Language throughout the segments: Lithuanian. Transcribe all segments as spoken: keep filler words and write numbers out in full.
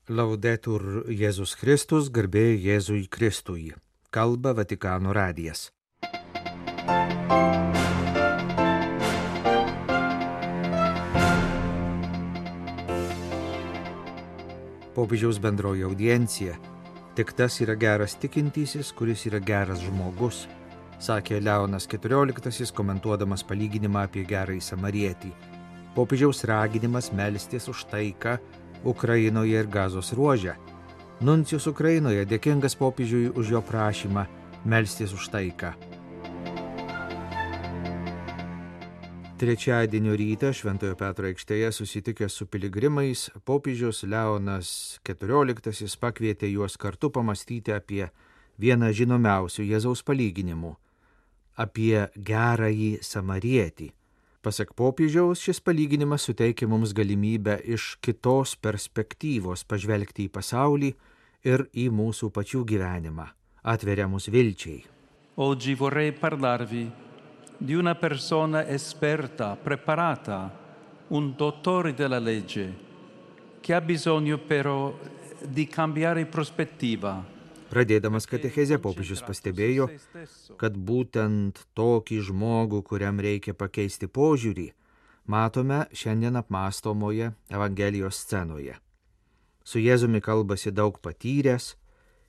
Laudetur Jėzus Kristus, garbė Jėzui Kristui. Kalba Vatikano radijas. Popiežiaus bendroji audiencija. Tik tas yra geras tikintysis, kuris yra geras žmogus, sakė Leonas keturioliktasis, komentuodamas palyginimą apie gerąjį samarietį. Popiežiaus raginimas melstis už taiką Ukrainoje ir Gazos ruože. Nuncijus Ukrainoje dėkingas popiežiui už jo prašymą melstis už taiką. Trečiadienio rytą Šventojo Petro aikštėje susitikęs su piligrimais, popiežius Leonas keturioliktasis pakvietė juos kartu pamastyti apie vieną žinomiausių Jėzaus palyginimų – apie gerąjį samarietį. Pasak popiežiaus, šis palyginimas suteikia mums galimybę iš kitos perspektyvos pažvelgti į pasaulį ir į mūsų pačių gyvenimą, atveria mus vilčiai. Oggi vorrei parlarvi di una persona esperta, preparata, un dottore della legge, che ha bisogno però di cambiare prospettiva. Pradėdamas katechezę, popiežius pastebėjo, kad būtent tokį žmogų, kuriam reikia pakeisti požiūrį, matome šiandien apmąstomoje Evangelijos scenoje. Su Jėzumi kalbasi daug patyręs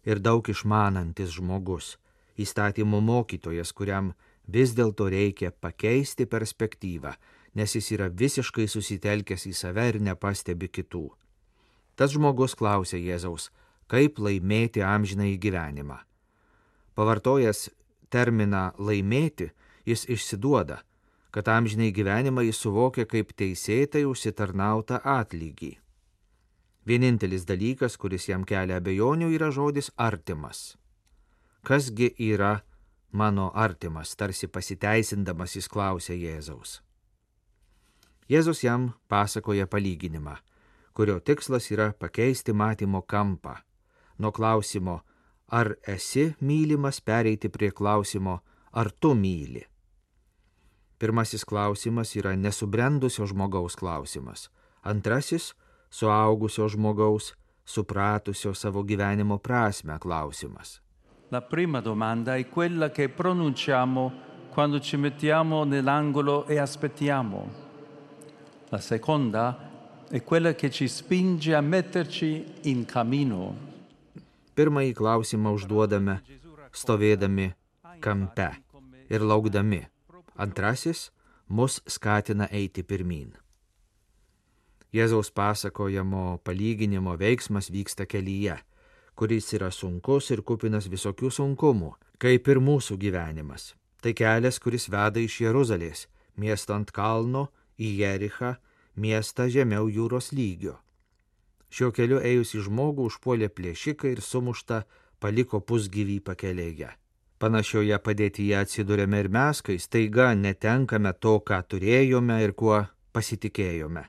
ir daug išmanantis žmogus, įstatymų mokytojas, kuriam vis dėlto reikia pakeisti perspektyvą, nes jis yra visiškai susitelkęs į save ir nepastebi kitų. Tas žmogus klausė Jėzaus, kaip laimėti amžinąjį gyvenimą. Pavartojęs terminą laimėti, jis išsiduoda, kad amžinąjį gyvenimą jis suvokia kaip teisėtai užsitarnautą atlygį. Vienintelis dalykas, kuris jam kelia abejonių, yra žodis artimas. Kasgi yra mano artimas, tarsi pasiteisindamas jis klausė Jėzaus. Jėzus jam pasakoja palyginimą, kurio tikslas yra pakeisti matymo kampą. Nuo klausimo, ar esi mylimas, pereiti prie klausimo, ar tu myli. Pirmasis klausimas yra nesubrendusio žmogaus klausimas. Antrasis – suaugusio žmogaus, supratusio savo gyvenimo prasmę klausimas. La prima domanda è quella che pronunciamo quando ci mettiamo nell'angolo e aspettiamo. La seconda è quella che ci spinge a metterci in cammino. Pirmąjį klausimą užduodame, stovėdami kampe ir laukdami. Antrasis mus skatina eiti pirmyn. Jėzaus pasakojamo palyginimo veiksmas vyksta kelyje, kuris yra sunkus ir kupinas visokių sunkumų, kaip ir mūsų gyvenimas. Tai kelias, kuris veda iš Jeruzalės, miesto ant kalno, į Jerichą, miestą žemiau jūros lygio. Šiuo keliu ėjusi žmogų užpuolė plėšikai ir sumuštą paliko pusgyvį pakelėje. Panašioje padėtyje atsidūrėme ir mes, kai staiga netenkame to, ką turėjome ir kuo pasitikėjome.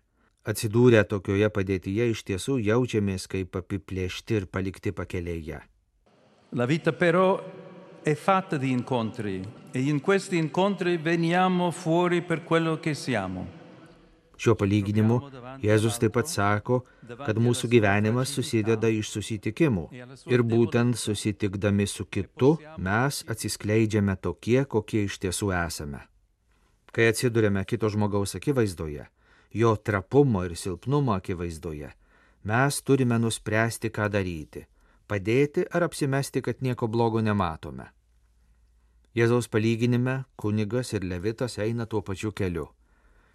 Atsidūrę tokioje padėtyje iš tiesų jaučiamės kaip apiplėšti ir palikti pakelėje. La vita però è fatta di incontri e in questi incontri veniamo fuori per quello che siamo. Šiuo palyginimu Jėzus taip pat sako, kad mūsų gyvenimas susideda iš susitikimų ir būtent susitikdami su kitu mes atsiskleidžiame tokie, kokie iš tiesų esame. Kai atsiduriame kito žmogaus akivaizdoje, jo trapumo ir silpnumo akivaizdoje, mes turime nuspręsti, ką daryti – padėti ar apsimesti, kad nieko blogo nematome. Jėzaus palyginime kunigas ir levitas eina tuo pačiu keliu.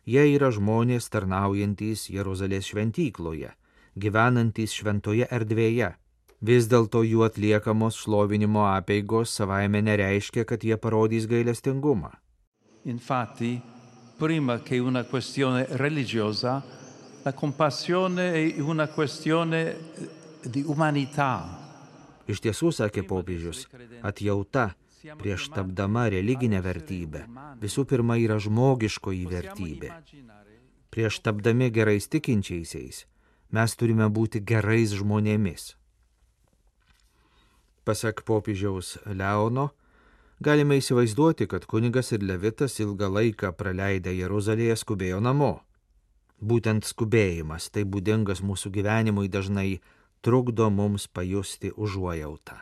Jie yra žmonės tarnaujantys Jeruzalės šventykloje, gyvenantys šventoje erdvėje. Vis dėlto jų atliekamos šlovinimo apeigos savaime nereiškia, kad jie parodys gailestingumą. Infatti, prima che una questione religiosa, la compassione è una questione di umanità. Iš tiesų, sakė popiežius, atjauta prieš tapdama religinę vertybę visų pirma yra žmogiškoji vertybė. Prieš tapdami gerais tikinčiaisiais mes turime būti gerais žmonėmis. Pasak popiežiaus Leono, galime įsivaizduoti, kad kunigas ir levitas ilgą laiką praleidę Jeruzalėje skubėjo namo. Būtent skubėjimas, tai būdingas mūsų gyvenimui dažnai trukdo mums pajusti užuojautą.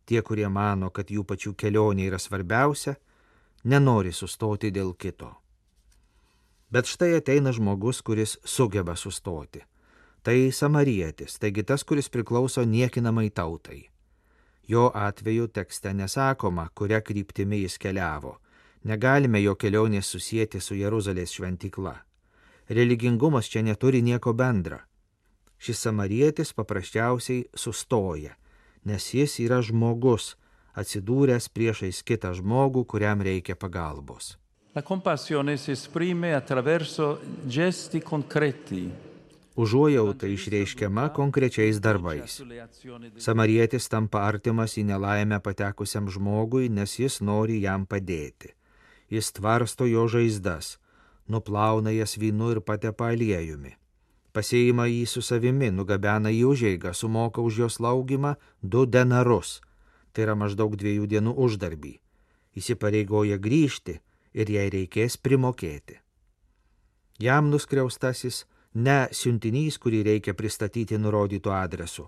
Tie, kurie mano, kad jų pačių kelionė yra svarbiausia, nenori sustoti dėl kito. Bet štai ateina žmogus, kuris sugeba sustoti. Tai samarietis, taigi tas, kuris priklauso niekinamai tautai. Jo atveju tekste nesakoma, kuria kryptimi jis keliavo. Negalime jo kelionės susijęti su Jeruzalės šventykla. Religingumas čia neturi nieko bendra. Šis samarietis paprasčiausiai sustoja, nes jis yra žmogus, atsidūręs priešais kitą žmogų, kuriam reikia pagalbos. La compassione si esprime attraverso gesti concreti. Užuojauta išreiškiama konkrečiais darbais. Samarietis tampa artimas į nelaimę patekusiam žmogui, nes jis nori jam padėti. Jis tvarsto jo žaizdas, nuplauna jas vynu ir patepa aliejumi. Pasiima jį su savimi, nugabena į užeigą, sumoka už jos laugimą du denarus, tai yra maždaug dviejų dienų uždarbį. Įsipareigoja grįžti ir jai reikės primokėti. Jam nuskriaustasis ne siuntinys, kurį reikia pristatyti nurodytų adresu,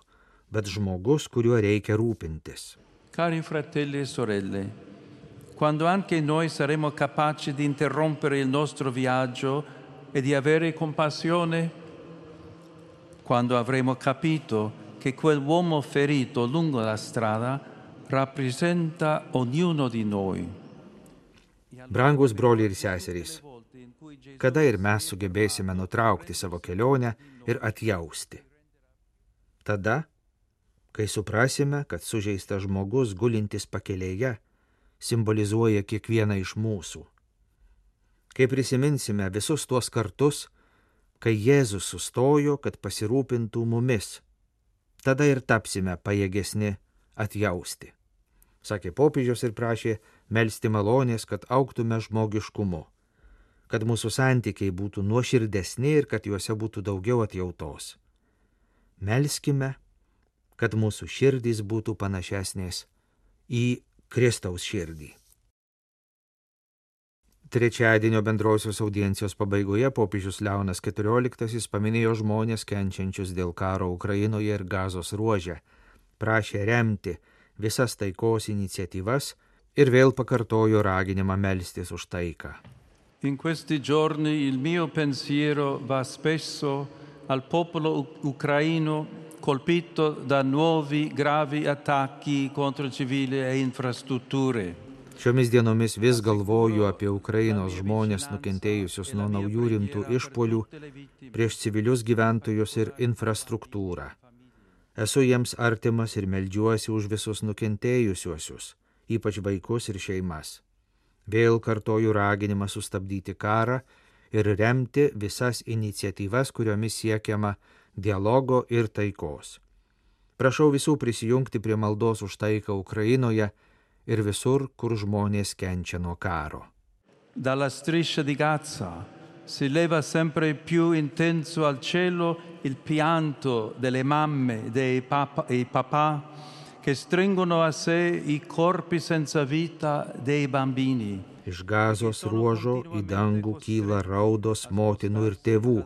bet žmogus, kuriuo reikia rūpintis. Cari fratelli e sorelle, quando anche noi saremo capaci di interrompere il nostro viaggio e di avere compassione, quando avremo capito che quell'uomo ferito lungo la strada rappresenta ognuno di noi. Brangus broliai ir seserys, kada ir mes sugebėsime nutraukti savo kelionę ir atjausti? Tada, kai suprasime, kad sužeistas žmogus gulintis pakelėje simbolizuoja kiekvieną iš mūsų. Kai prisiminsime visus tuos kartus, kai Jėzus sustojo, kad pasirūpintų mumis, tada ir tapsime pajėgesni atjausti. Sakė popiežius ir prašė melsti malonės, kad augtume žmogiškumu, kad mūsų santykiai būtų nuoširdesni ir kad juose būtų daugiau atjautos. Melskime, kad mūsų širdys būtų panašesnės į Kristaus širdį. Trečiadienio bendrosios audiencijos pabaigoje popiežius Leonas keturioliktasis paminėjo žmonės kenčiančius dėl karo Ukrainoje ir Gazos ruože, prašė remti visas taikos iniciatyvas ir vėl pakartojo raginimą melstis už taiką. In questi giorni il mio pensiero va spesso al popolo ucraino colpito da nuovi gravi attacchi contro civili e infrastrutture. Šiomis dienomis vis galvoju apie Ukrainos žmonės nukentėjusius nuo naujų rimtų išpuolių prieš civilius gyventojus ir infrastruktūrą. Esu jiems artimas ir meldžiuosi už visus nukentėjusiuosius, ypač vaikus ir šeimas. Vėl kartoju raginimą sustabdyti karą ir remti visas iniciatyvas, kuriomis siekiama dialogo ir taikos. Prašau visų prisijungti prie maldos už taiką Ukrainoje ir visur, kur žmonės kenčia nuo karo. Dalla striscia di Gaza si leva sempre più intenso al cielo il pianto delle mamme e dei papa, e papà che stringono a sé i corpi senza vita dei bambini. Iš Gazos ruožo į dangų kyla raudos motinų ir tėvų,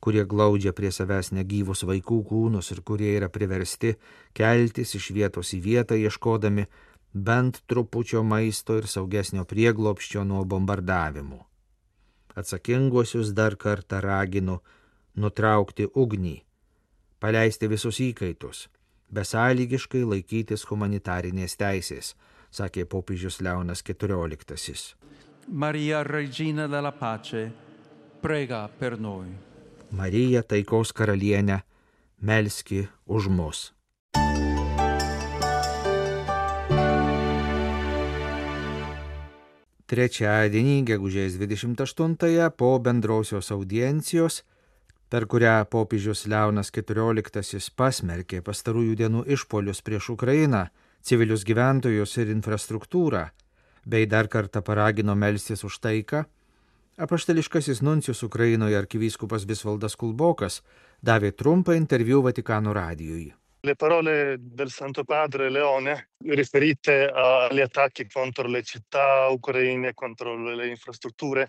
kurie glaudžia prie savęs negyvus vaikų kūnus ir kurie yra priversti keltis iš vietos į vietą, ieškodami bent trupučio maisto ir saugesnio prieglobsčio nuo bombardavimų. Atsakinguosius dar kartą raginu nutraukti ugnį, paleisti visus įkaitus, besąlygiškai laikytis humanitarinės teisės, sakė popiežius Leonas keturioliktasis. Maria Regina della Pace, prega per noi. Marija, taikos karalienė, melski už mus. Trečiadienį, gegužės dvidešimt aštuntąją, po bendrosios audiencijos, per kurią popiežius Leonas keturioliktasis pasmerkė pastarųjų dienų išpuolius prieš Ukrainą, civilius gyventojus ir infrastruktūrą, bei dar kartą paragino melstis už taiką, apaštališkasis nuncijus Ukrainoje arkivyskupas Visvaldas Kulbokas davė trumpą interviu Vatikano radijui. Le parole del Santo Padre Leone riferite agli attacchi contro le città ucraine, contro le infrastrutture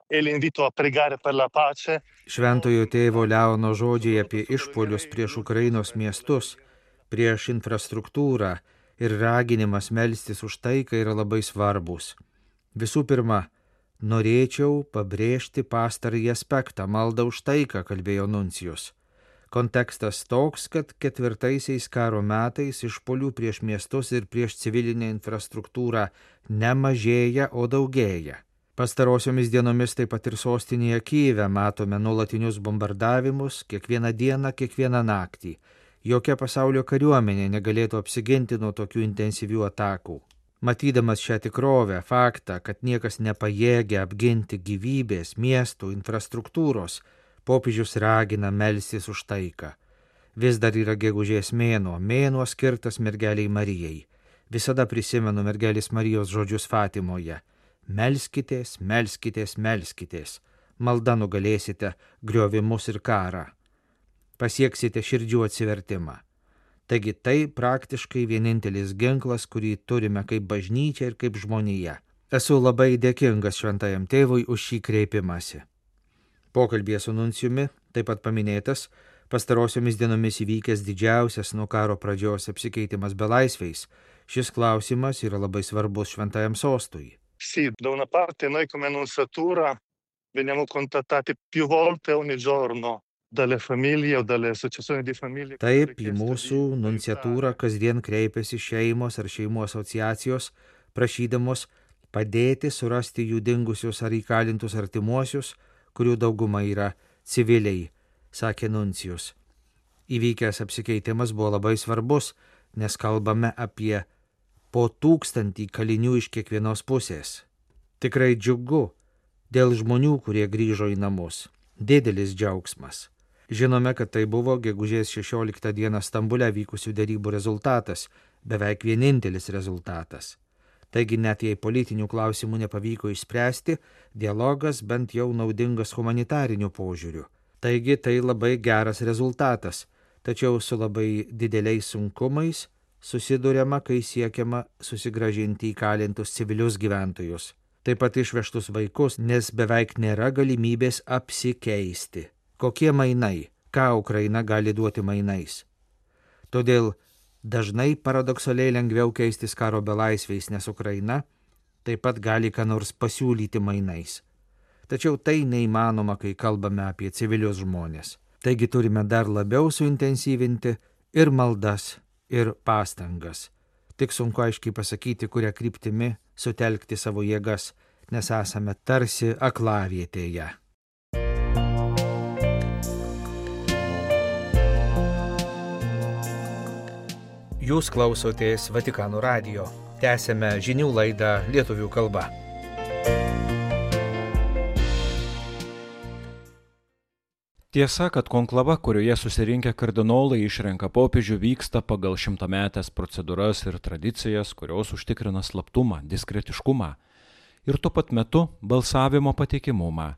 e l'invito a pregare per la pace. Šventojo tėvo Leono žodžiai apie išpuolius prieš Ukrainos miestus, prieš infrastruktūrą ir raginimas melstis už taiką yra labai svarbus. Visų pirma, norėčiau pabrėžti pastarąjį aspektą, maldą už taiką, kalbėjo nuncijus. Kontekstas toks, kad ketvirtaisiais karo metais išpuolių prieš miestus ir prieš civilinę infrastruktūrą nemažėja, o daugėja. Pastarosiomis dienomis taip pat ir sostinėje Kyjive matome nuolatinius bombardavimus kiekvieną dieną, kiekvieną naktį. Jokia pasaulio kariuomenė negalėtų apsiginti nuo tokių intensyvių atakų. Matydamas šią tikrovę, faktą, kad niekas nepajėgia apginti gyvybės, miestų, infrastruktūros, popiežius ragina melstis už taiką. Vis dar yra gegužės mėnuo, mėnuo skirtas mergeliai Marijai. Visada prisimenu mergelės Marijos žodžius Fatimoje. Melskitės, melskitės, melskitės. Malda nugalėsite griovimus ir karą. Pasieksite širdžių atsivertimą. Taigi tai praktiškai vienintelis ginklas, kurį turime kaip bažnyčia ir kaip žmonija. Esu labai dėkingas šventajam tėvui už šį kreipimąsi. Pokalbėje su nuncijumi taip pat paminėtas pastarosiomis dienomis įvykęs didžiausias nuo karo pradžios apsikeitimas belaisviais. Šis klausimas yra labai svarbus šventajam sostui. Sì, da una parte noi come Nunciatura veniamo contattati più volte ogni giorno dalle famiglie o dalle associazioni di famiglie. Taip, į mūsų nunciatūrą kasdien kreipiasi šeimos ar šeimų asociacijos, prašydamos padėti surasti jų dingusius ar įkalintus artimuosius, kurių dauguma yra civiliai, sakė nuncijus. Įvykęs apsikeitimas buvo labai svarbus, nes kalbame apie po tūkstantį kalinių iš kiekvienos pusės. Tikrai džiugu dėl žmonių, kurie grįžo į namus. Didelis džiaugsmas. Žinome, kad tai buvo gegužės šešioliktą dieną Stambule vykusių derybų rezultatas, beveik vienintelis rezultatas. Taigi net jei politinių klausimų nepavyko išspręsti, dialogas bent jau naudingas humanitariniu požiūriu. Taigi tai labai geras rezultatas, tačiau su labai dideliais sunkumais susiduriama, kai siekiama susigrąžinti įkalintus civilius gyventojus. Taip pat išvežtus vaikus, nes beveik nėra galimybės apsikeisti. Kokie mainai, ką Ukraina gali duoti mainais. Todėl dažnai paradoksaliai lengviau keistis karo belaisviais, nes Ukraina taip pat gali ką nors pasiūlyti mainais. Tačiau tai neįmanoma, kai kalbame apie civilius žmonės. Taigi turime dar labiau suintensyvinti ir maldas, ir pastangas. Tik sunku aiškiai pasakyti, kuria kryptimi sutelkti savo jėgas, nes esame tarsi aklavietėje. Jūs klausotės Vatikano radijo. Tęsėme žinių laidą lietuvių kalba. Tiesa, kad konklava, kurioje susirinkę kardinolai išrenka popiežių, vyksta pagal šimtametės procedūras ir tradicijas, kurios užtikrina slaptumą, diskretiškumą ir tuo pat metu balsavimo patikimumą.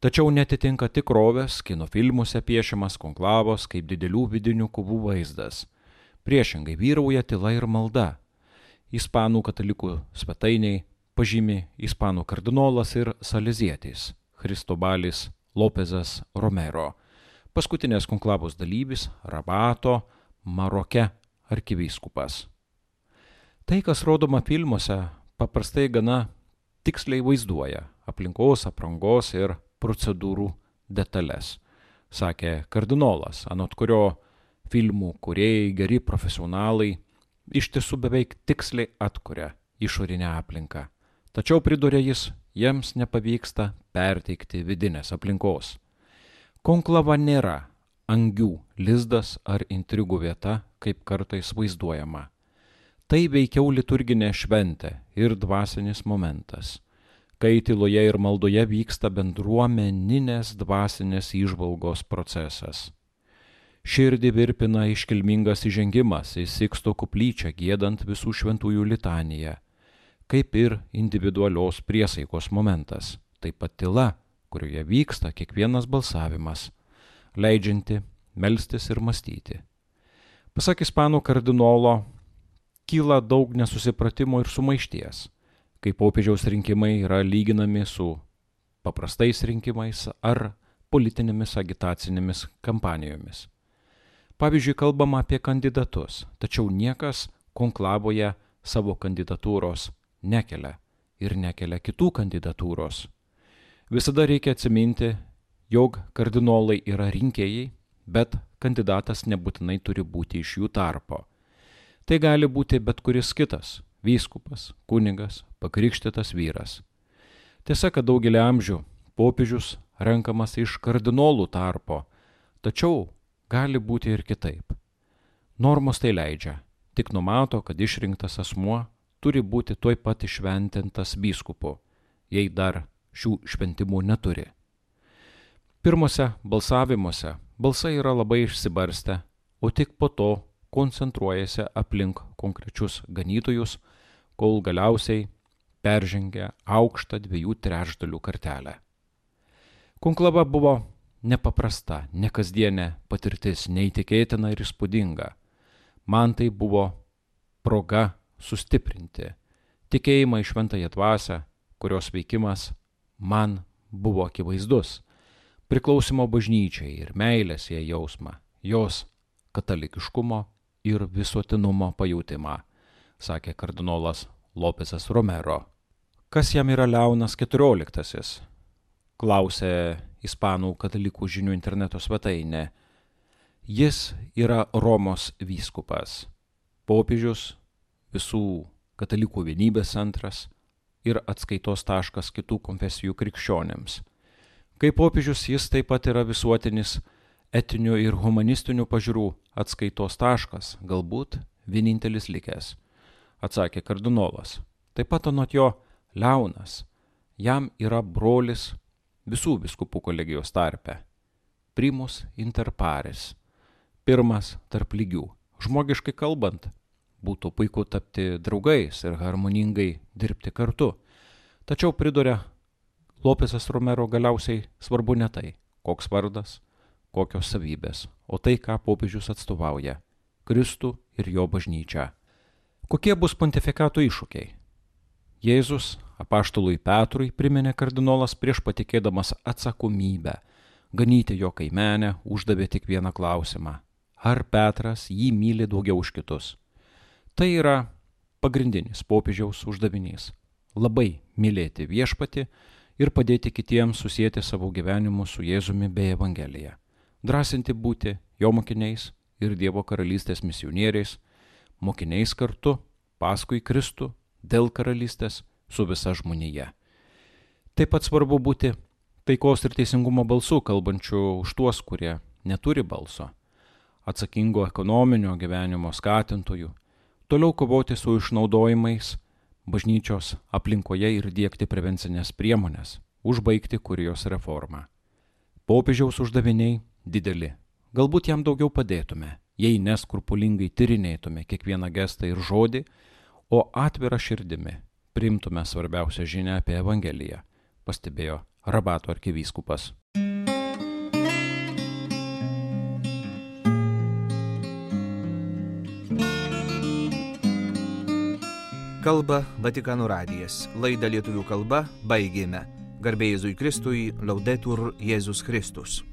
Tačiau netitinka tikrovės, kino filmuose piešiamas konklavos kaip didelių vidinių kovų vaizdas. Priešingai vyrauja tyla ir malda. Ispanų katalikų svetainiai pažymi ispanų kardinolas ir salezietis Kristobalis Lopezas Romero, paskutinės konklavos dalyvis Rabato, Maroke arkivyskupas. Tai, kas rodoma filmuose, paprastai gana tiksliai vaizduoja aplinkos, aprangos ir procedūrų detalės, sakė kardinolas, anot kurio filmų kūrėjai, geri profesionalai iš tiesų beveik tiksliai atkuria išorinę aplinką. Tačiau pridūrė jis, jiems nepavyksta perteikti vidinės aplinkos. Konklava nėra angių lizdas ar intrigų vieta, kaip kartais vaizduojama. Tai veikiau liturginė šventė ir dvasinis momentas, kai tyloje ir maldoje vyksta bendruomeninės dvasinės įžvalgos procesas. Širdį virpina iškilmingas įžengimas į Siksto koplyčią giedant visų šventųjų litaniją, kaip ir individualios priesaikos momentas, taip pat tyla, kurioje vyksta kiekvienas balsavimas, leidžianti melstis ir mąstyti. Pasak ispanų kardinolo, kyla daug nesusipratimo ir sumaišties, kai popiežiaus rinkimai yra lyginami su paprastais rinkimais ar politinėmis agitacinėmis kampanijomis. Pavyzdžiui, kalbama apie kandidatus, tačiau niekas konklavoje savo kandidatūros nekelia ir nekelia kitų kandidatūros. Visada reikia atsiminti, jog kardinolai yra rinkėjai, bet kandidatas nebūtinai turi būti iš jų tarpo. Tai gali būti bet kuris kitas – vyskupas, kunigas, pakrikštytas vyras. Tiesa, kad daugelį amžių popiežius renkamas iš kardinolų tarpo, tačiau gali būti ir kitaip. Normos tai leidžia, tik numato, kad išrinktas asmuo turi būti tuoj pat išventintas vyskupu, jei dar šių šventimų neturi. Pirmose balsavimuose balsai yra labai išsibarstę, o tik po to koncentruojasi aplink konkrečius ganytojus, kol galiausiai peržengia aukštą dviejų trečdalių kartelę. Konklava buvo nepaprasta, nekasdienė patirtis, neįtikėtina ir įspūdinga. Man tai buvo proga sustiprinti tikėjimą į šventąją dvasią, kurios veikimas man buvo akivaizdus, priklausimo bažnyčiai ir meilės jai jausmą, jos katalikiškumo ir visuotinumo pajautimą, sakė kardinolas Lopesas Romero. Kas jam yra Leonas keturioliktasis? Klausė ispanų katalikų žinių interneto svetainė. Jis yra Romos vyskupas, popiežius, visų katalikų vienybės centras ir atskaitos taškas kitų konfesijų krikščionėms. Kaip popiežius jis taip pat yra visuotinis etinių ir humanistinių pažiūrų atskaitos taškas, galbūt vienintelis likęs, atsakė kardinolas. Taip pat anot jo Leonas, jam yra brolis visų vyskupų kolegijos tarpe, primus inter pares, pirmas tarp lygių. Žmogiškai kalbant, būtų puiku tapti draugais ir harmoningai dirbti kartu. Tačiau priduria Lopesas Romero, galiausiai svarbu ne tai, koks vardas, kokios savybės, o tai, ką popiežius atstovauja – Kristų ir jo bažnyčią. Kokie bus pontifikato iššūkiai? Jėzus apaštalui Petrui priminė kardinolas prieš patikėdamas atsakomybę. Ganyti jo kaimenę uždavė tik vieną klausimą. Ar Petras jį myli daugiau už kitus? Tai yra pagrindinis popiežiaus uždavinys – labai mylėti viešpatį ir padėti kitiems susijęti savo gyvenimu su Jėzumi bei Evangelija. Drąsinti būti jo mokiniais ir Dievo karalystės misionieriais, mokiniais kartu, paskui Kristų, dėl karalystės su visa žmonija. Taip pat svarbu būti taikos ir teisingumo balsu, kalbančių už tuos, kurie neturi balso, atsakingo ekonominio gyvenimo skatintojų, toliau kovoti su išnaudojimais bažnyčios aplinkoje ir diegti prevencinės priemonės, užbaigti kurijos reformą. Popiežiaus uždaviniai dideli. Galbūt jam daugiau padėtume, jei neskrupulingai tyrinėtume kiekvieną gestą ir žodį, o atvira širdimi priimtume svarbiausią žinią apie Evangeliją, pastebėjo Rabato arkivyskupas. Kalba Vatikano radijas. Laidą lietuvių kalba baigėme. Garbė Jėzui Kristui, Laudetur Jėzus Kristus.